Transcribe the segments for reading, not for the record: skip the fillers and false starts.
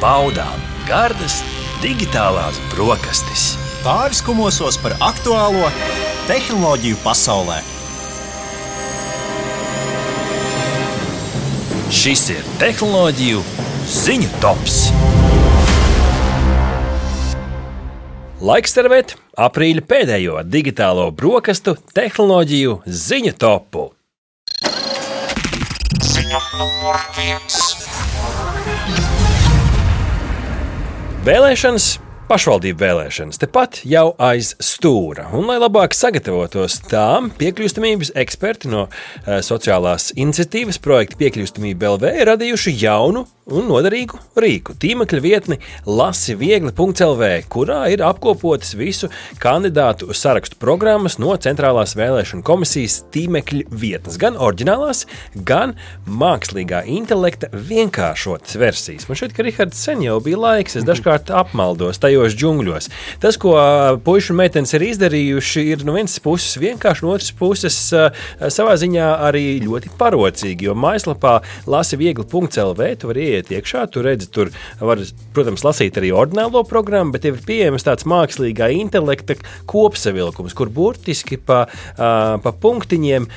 baudām gardas digitālās brokastis. Pāriskumosos par aktuālo tehnoloģiju pasaulē. Šis ir tehnoloģiju ziņu tops. Laiks servēt aprīļa pēdējo digitālo brokastu tehnoloģiju ziņu topu. Ziņa numur 1. Vēlēšanas, pašvaldību vēlēšanas, tepat jau aiz stūra. Un, lai labāk sagatavotos tām, piekļūstamības eksperti no sociālās iniciatīvas projekta Piekļūstamība LV radījuši jaunu un noderīgu rīku. Tīmekļa vietni lasiviegli.lv, kurā ir apkopotas visu kandidātu sarakstu programmas no Centrālās vēlēšanu komisijas tīmekļa vietnes. Gan oriģinālās, gan mākslīgā intelekta vienkāršotas versijas. Man šķiet, ka Rihards sen jau bija laiks, es dažkārt apmaldos tajos džungļos. Tas, ko puiši un meitenes ir izdarījuši, ir no vienas puses vienkārši, no otras puses savā ziņā arī ļoti parocīgi, jo mājaslapā lasiviegli.lv tu vari iet iekšā, tu redzi, tur var, protams, lasīt arī ordinālo programmu, bet ir pieejams tāds mākslīgā intelekta kopsavilkums, kur burtiski pa punktiņiem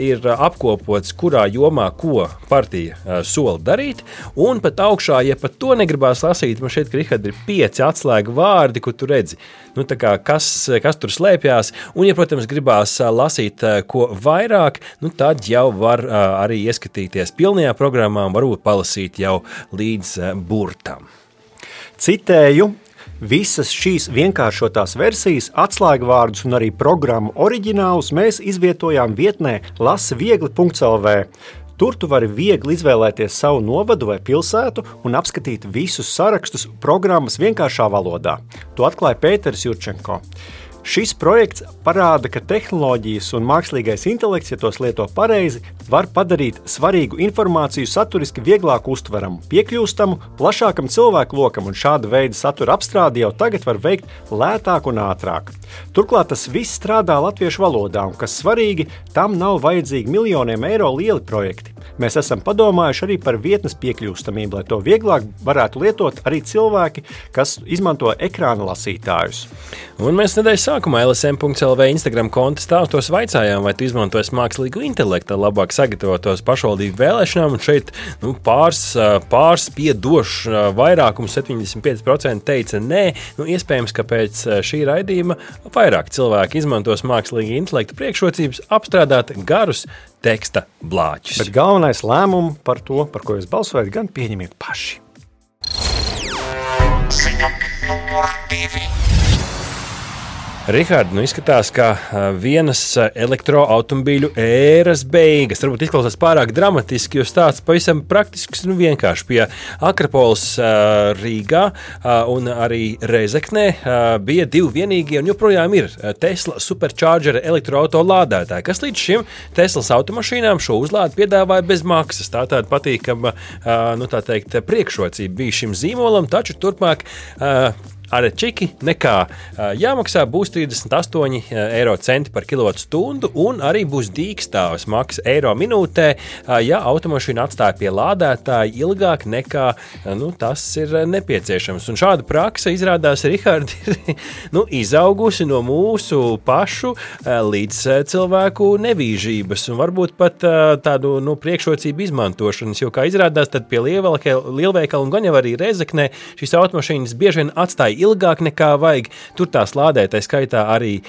ir apkopots, kurā jomā ko partija sola darīt, un pat augšā, ja pat to negribās lasīt, man šeit, ka Richard ir 5 atslēgu vārdi, kur tu redzi, nu tā kā kas tur slēpjās, un, ja, protams, gribās lasīt ko vairāk, nu tad jau var arī ieskatīties pilnajā programmā un varbūt palasīt jau līdz burtam. Citēju, visas šīs vienkāršotās versijas, atslēgvārdus un arī programmu oriģinālus mēs izvietojām vietnē lasiviegli.lv. Tur tu vari viegli izvēlēties savu novadu vai pilsētu un apskatīt visus sarakstus programmas vienkāršā valodā. To atklāja Pēteris Jurčenko. Šis projekts parāda, ka tehnoloģijas un mākslīgais intelekts, ja tos lieto pareizi, var padarīt svarīgu informāciju saturiski vieglāk uztveramu, piekļūstamu, plašākam cilvēku lokam, un šāda veida satura apstrādi jau tagad var veikt lētāk un ātrāk. Turklāt tas viss strādā latviešu valodā, un, kas svarīgi, tam nav vajadzīgi miljoniem eiro lieli projekti. Mēs esam padomājuši arī par vietnes piekļūstamību, lai to vieglāk varētu lietot arī cilvēki, kas izmanto ekrāna lasītājus. Un mēs nedēļas sākumā LSM.lv Instagram konta stāstos vaicājām, vai tu izmantojas mākslīgu intelektu, lai labāk sagatavotos pašvaldību vēlēšanām, un šeit pārspiedošs vairākums 75% teica nē. Iespējams, ka pēc šī raidījuma vairāk cilvēki izmantos mākslīgu intelektu priekšrocības apstrādāt garus teksta blāķus. Bet galvenais lēmumu par to, par ko jūs balsojat, gan pieņemiet paši. Ziņa numur 2. Rihard, izskatās, ka vienas elektroautomobīļu ēras beigas. Varbūt izklausās pārāk dramatiski, jo stāsts pavisam praktisks un vienkārši. Pie Akrapoles Rīgā un arī Rezeknē bija 2 vienīgie un joprojām ir Tesla Supercharger elektroauto lādētāji, kas līdz šim Teslas automašīnām šo uzlādi piedāvāja bez maksas. Tā tāda patīkama, tā teikt, priekšrocība bija šim zīmolam, taču turpmāk ar čiki nekā jāmaksā būs 38 eiro centi par kilovatstundu un arī būs dīkstāves maksa eiro minūtē, ja automašīna atstāja pie lādētāja ilgāk nekā tas ir nepieciešams. Un šāda praksa izrādās, Richard, ir izaugusi no mūsu pašu līdz cilvēku nevīžības un varbūt pat tādu priekšrocību izmantošanas, jo, kā izrādās, tad pie lielveikala un gan jau arī Rezeknē šīs automašīnas bieži vien atstāja ilgāk nekā vajag. Tur tās lādētai skaitā arī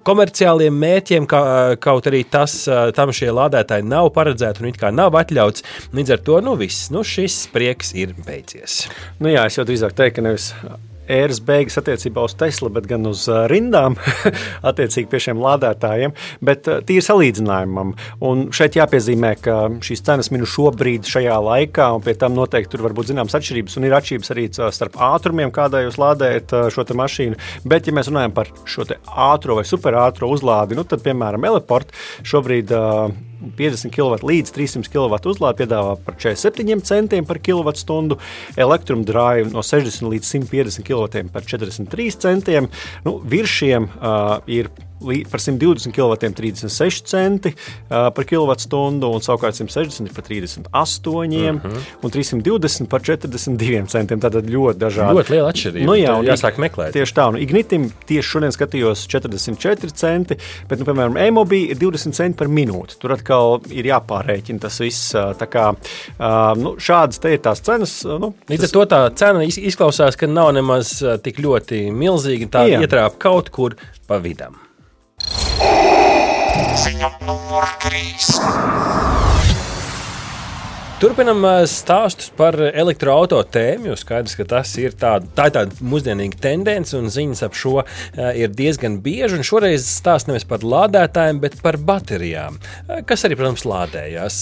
komerciāliem mērķiem, kaut arī tam šie lādētāji nav paredzēti un it kā nav atļauts. Līdz ar to, viss, šis prieks ir beidzies. Jā, es jau drīzāk teiktu, ka nevis ēras beigas attiecībā uz Tesla, bet gan uz rindām attiecīgi pie šiem lādētājiem, bet tīri salīdzinājumam. Un šeit jāpiezīmē, ka šīs cenas minu šobrīd šajā laikā, un pie tam noteikti tur var būt zināmas atšķirības, un ir atšķirības arī starp ātrumiem, kādā jūs lādējat šo te mašīnu. Bet, ja mēs runājam par šo te ātro vai superātro uzlādi, tad, piemēram, Eleport šobrīd 50 kW līdz 300 kW uzlādi piedāvā par 47 centiem par kilovatstundu, Electrum Drive no 60 līdz 150 kW par 43 centiem. Virs šiem ir par 120 kW 36 centi par kilovatstundu, un savukārt 160 par 38 un 320 par 42 centiem. Tātad ļoti dažādi. Ļoti liela atšķirība. Jā, jāsāk meklēt. Tieši tā. Ignitim tieši šodien skatījos 44 centi, bet, piemēram, e-mobi ir 20 centi par minūti. Tur atkal ir jāpārēķina tas viss. Tā kā šādas te ir tās cenas. Līdz ar to tā cena izklausās, ka nav nemaz tik ļoti milzīga, tā ietrāp kaut kur pa vidam. Ziņa numur 3. Turpinam stāstus par elektroauto tēmu, jo skaidrs, ka tas ir tā ir tāda mūsdienīga tendence un ziņas ap šo ir diezgan bieži. Un šoreiz stāst nevis par lādētājiem, bet par baterijām, kas arī, protams, lādējās.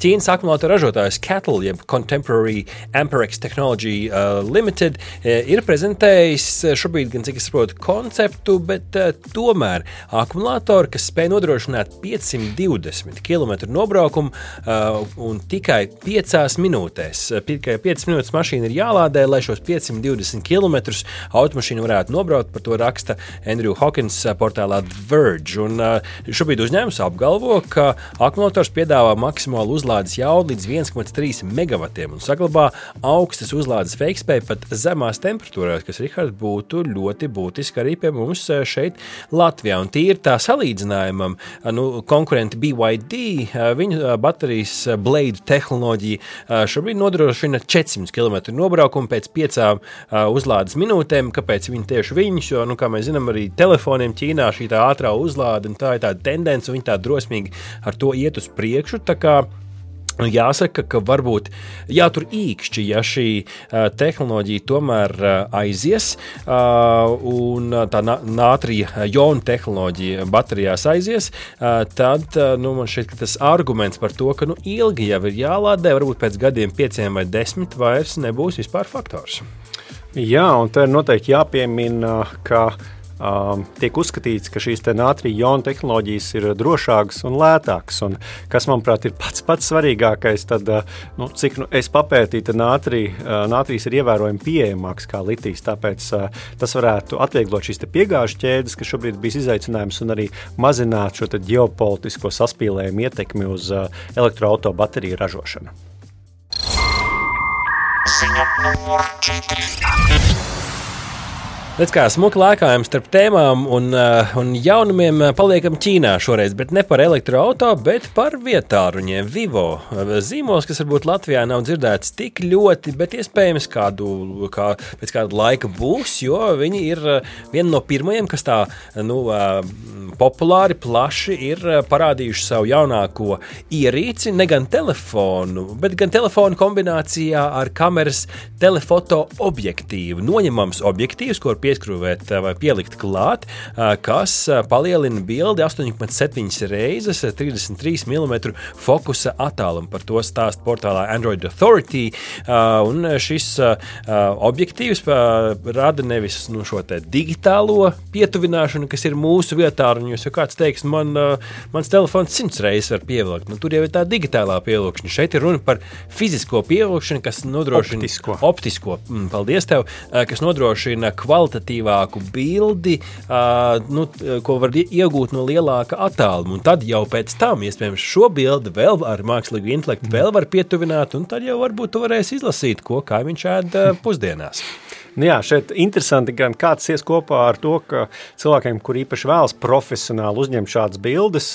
Ķīnas akumulātoru ražotājs CATL, jeb Contemporary Amperex Technology Limited, ir prezentējis šobrīd, gan cik es saprotu, konceptu, bet tomēr akumulātori, kas spēj nodrošināt 520 km nobraukumu un tikai 5 minūtēs. Tikai 5 minūtes mašīna ir jālādē, lai šos 520 km automašīnu varētu nobraukt. Par to raksta Andrew Hawkins portālā The Verge. Un šobrīd uzņēmums apgalvo, ka akumulators piedāvā maksimālu uzlādes jaudu līdz 1,3 megavatiem un saglabā augstas uzlādes veikspēju pat zemās temperatūrās, kas, Rihard, būtu ļoti būtiski arī pie mums šeit Latvijā. Un tīri tā salīdzinājumam, konkurenti BYD, viņu baterijas Blade tehnoloģija šobrīd nodrošina 400 km nobraukumu pēc 5 uzlādes minūtēm. Kāpēc tieši viņus? Jo, kā mēs zinām, arī telefoniem Ķīnā šī tā ātrā uzlāde, un tā ir tāda tendence, un viņi tā drosmīgi ar to iet uz priekšu. Tā kā jāsaka, ka varbūt jātur īkšķi, ja šī tehnoloģija tomēr aizies, un tā nātrija jonu tehnoloģija baterijās aizies, tad man šķiet, ka tas arguments par to, ka ilgi jau ir jālādē, varbūt pēc gadiem 5 vai 10 vairs nebūs vispār faktors. Jā, un te ir noteikti jāpiemina, ka tiek uzskatīts, ka šīs nātrija jonu tehnoloģijas ir drošākas un lētākas. Un kas, manuprāt, ir pats svarīgākais, tad, cik es papētīju, tad nātrijas ir ievērojami pieejamāks kā litijs. Tāpēc tas varētu atvieglot šīs piegāžu ķēdes, kas šobrīd bijis izaicinājums, un arī mazināt šo ģeopolitisko saspīlējumu ietekmi uz elektroauto bateriju ražošanu. Ziņa numur 4. Redz, kā smuki lēkājam starp tēmām un jaunumiem paliekam Ķīnā šoreiz, bet ne par elektroauto, bet par vietāruņiem. Vivo zīmols, kas varbūt Latvijā nav dzirdēts tik ļoti, bet iespējams pēc kāda laika būs, jo viņi ir viena no pirmajiem, kas tā populāri, plaši ir parādījuši savu jaunāko ierīci, ne gan telefonu, bet gan telefonu kombinācijā ar kameras telefoto objektīvu. Noņemams objektīvs, ko pieskrūvēt vai pielikt klāt, kas palielina bildi 8,7 reizes 33 mm fokusa attālumu. Par to stāst portālā Android Authority. Un šis objektīvs rada nevis šo te digitālo pietuvināšanu, kas ir mūsu vietāruņos, jo kāds teiks, mans telefons 100 reizes var pievilkt. Tur jau ir tā digitālā pievilkšana. Šeit ir runa par fizisko pievilkšanu, kas nodrošina optisko. Paldies tev, kas nodrošina kvalitatīvāku bildi, ko var iegūt no lielāka attāluma. Un tad jau pēc tam, iespējams, šo bildi vēl ar mākslīgu intelektu vēl var pietuvināt, un tad jau varbūt tu varēsi izlasīt, ko kaimiņš ēd pusdienās. Jā, šeit interesanti gan kāds ies kopā ar to, ka cilvēkiem, kur īpaši vēlas profesionāli uzņemt šādas bildes,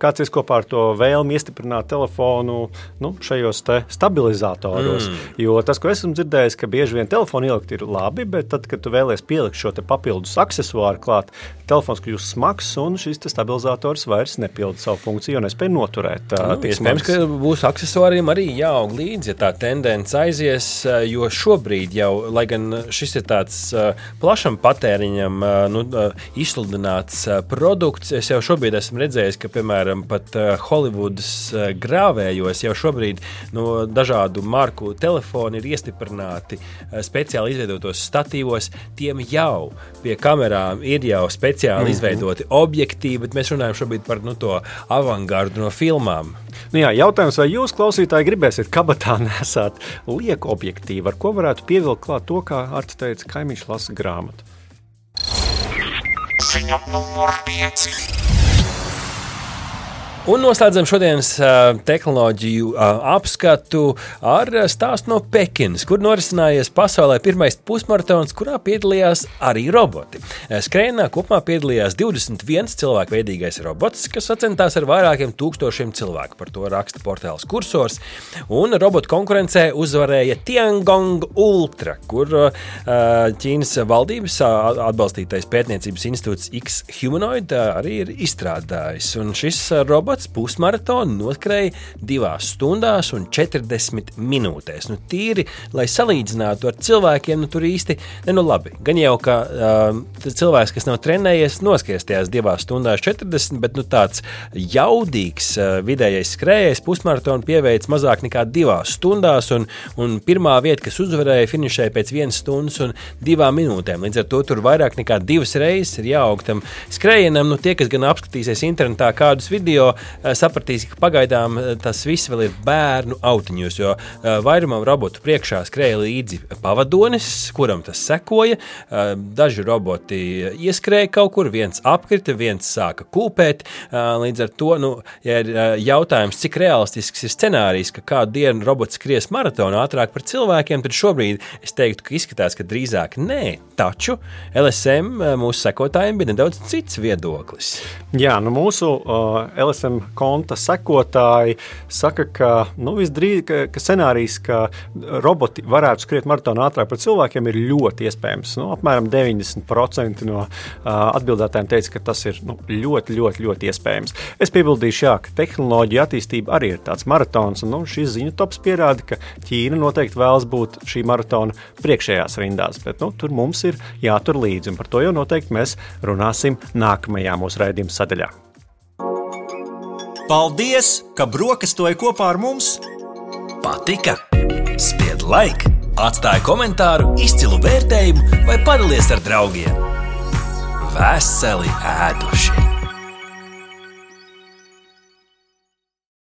kāds ies kopā ar to vēlmi iestiprināt telefonu šajos te stabilizatoros. Jo tas, ko esmu dzirdējis, ka bieži vien telefonu ielikt ir labi, bet tad, kad tu vēlies pielikt šo te papildus aksesuāru klāt, telefons kļūst smags un šis te stabilizators vairs nepilda savu funkciju un nespēj noturēt. Iespējams, ka būs aksesuāriem arī jāaug līdzi, ja tā tendence aizies, jo šobrīd jau, lai gan šis ir tāds plašam patēriņam izsludināts produkts. Es jau šobrīd esmu redzējis, ka, piemēram, pat Hollywoodas grāvējos jau šobrīd dažādu marku telefoni ir iestiprināti speciāli izveidotos statīvos. Tiem jau pie kamerām ir jau speciāli izveidoti objektīvi, bet mēs runājam šobrīd par to avangardu no filmām. Jā, jautājums, vai jūs, klausītāji, gribēsiet kabatā nesāt lieku objektīvu, ar ko varētu pievilkt klāt to, kā Arts teica, kaimiņš lasa grāmatu? Atziņa numur 5. Un noslēdzam šodienas tehnoloģiju apskatu ar stāstu no Pekinas, kur norisinājies pasaulē pirmais pusmaratons, kurā piedalījās arī roboti. Skrējienā kopumā piedalījās 21 cilvēku veidīgais robots, kas sacentās ar vairākiem tūkstošiem cilvēku. Par to raksta portāls Kursors. Un robotu konkurencē uzvarēja Tiangong Ultra, kur Ķīnas valdības atbalstītais pētniecības institūts X-Humanoid arī ir izstrādājis. Un šis robots pusmaratonu noskrēja 2 stundās un 40 minūtēs. Tīri, lai salīdzinātu ar cilvēkiem, tur īsti, labi. Gan jau, ka cilvēks, kas nav trenējies, noskries tajās 2 stundās 40, bet tāds jaudīgs vidējais skrējējs pusmaratonu pieveic mazāk nekā 2 stundās, un pirmā vieta, kas uzvarēja, finišēja pēc 1 stundas un 2 minūtēm. Līdz ar to tur vairāk nekā 2 reizes ir jāaug tam skrējienam. Tie, kas gan apskatīsies internetā kādus video, sapratīs, ka pagaidām tas viss vēl ir bērnu autiņos, jo vairumam robotu priekšā skrēja līdzi pavadonis, kuram tas sekoja. Daži roboti ieskrēja kaut kur, viens apkrita, viens sāka kūpēt. Līdz ar to, ja ir jautājums, cik realistisks ir scenārijs, ka kādu dienu robots skries maratonu ātrāk par cilvēkiem, tad šobrīd es teiktu, ka izskatās, ka drīzāk nē. Taču LSM mūsu sekotājiem bija nedaudz cits viedoklis. Jā, mūsu LSM konta sekotāji saka, ka ka scenārijs, ka roboti varētu skriet maratonu ātrāk par cilvēkiem, ir ļoti iespējams. Apmēram 90% no atbildētājiem teica, ka tas ir ļoti, ļoti, ļoti iespējams. Es piebildīšu, ka tehnoloģija attīstība arī ir tāds maratons, un šis ziņu tops pierāda, ka Ķīna noteikti vēlas būt šī maratona priekšējās rindās, bet tur mums ir jātur līdzi, un par to jau noteikti mēs runāsim nākamajā mūsu raidījuma sadaļā. Paldies, ka brokastoji kopā ar mums! Patika? Spied like, atstāj komentāru, izcilu vērtējumu vai padalies ar draugiem. Veseli ēduši!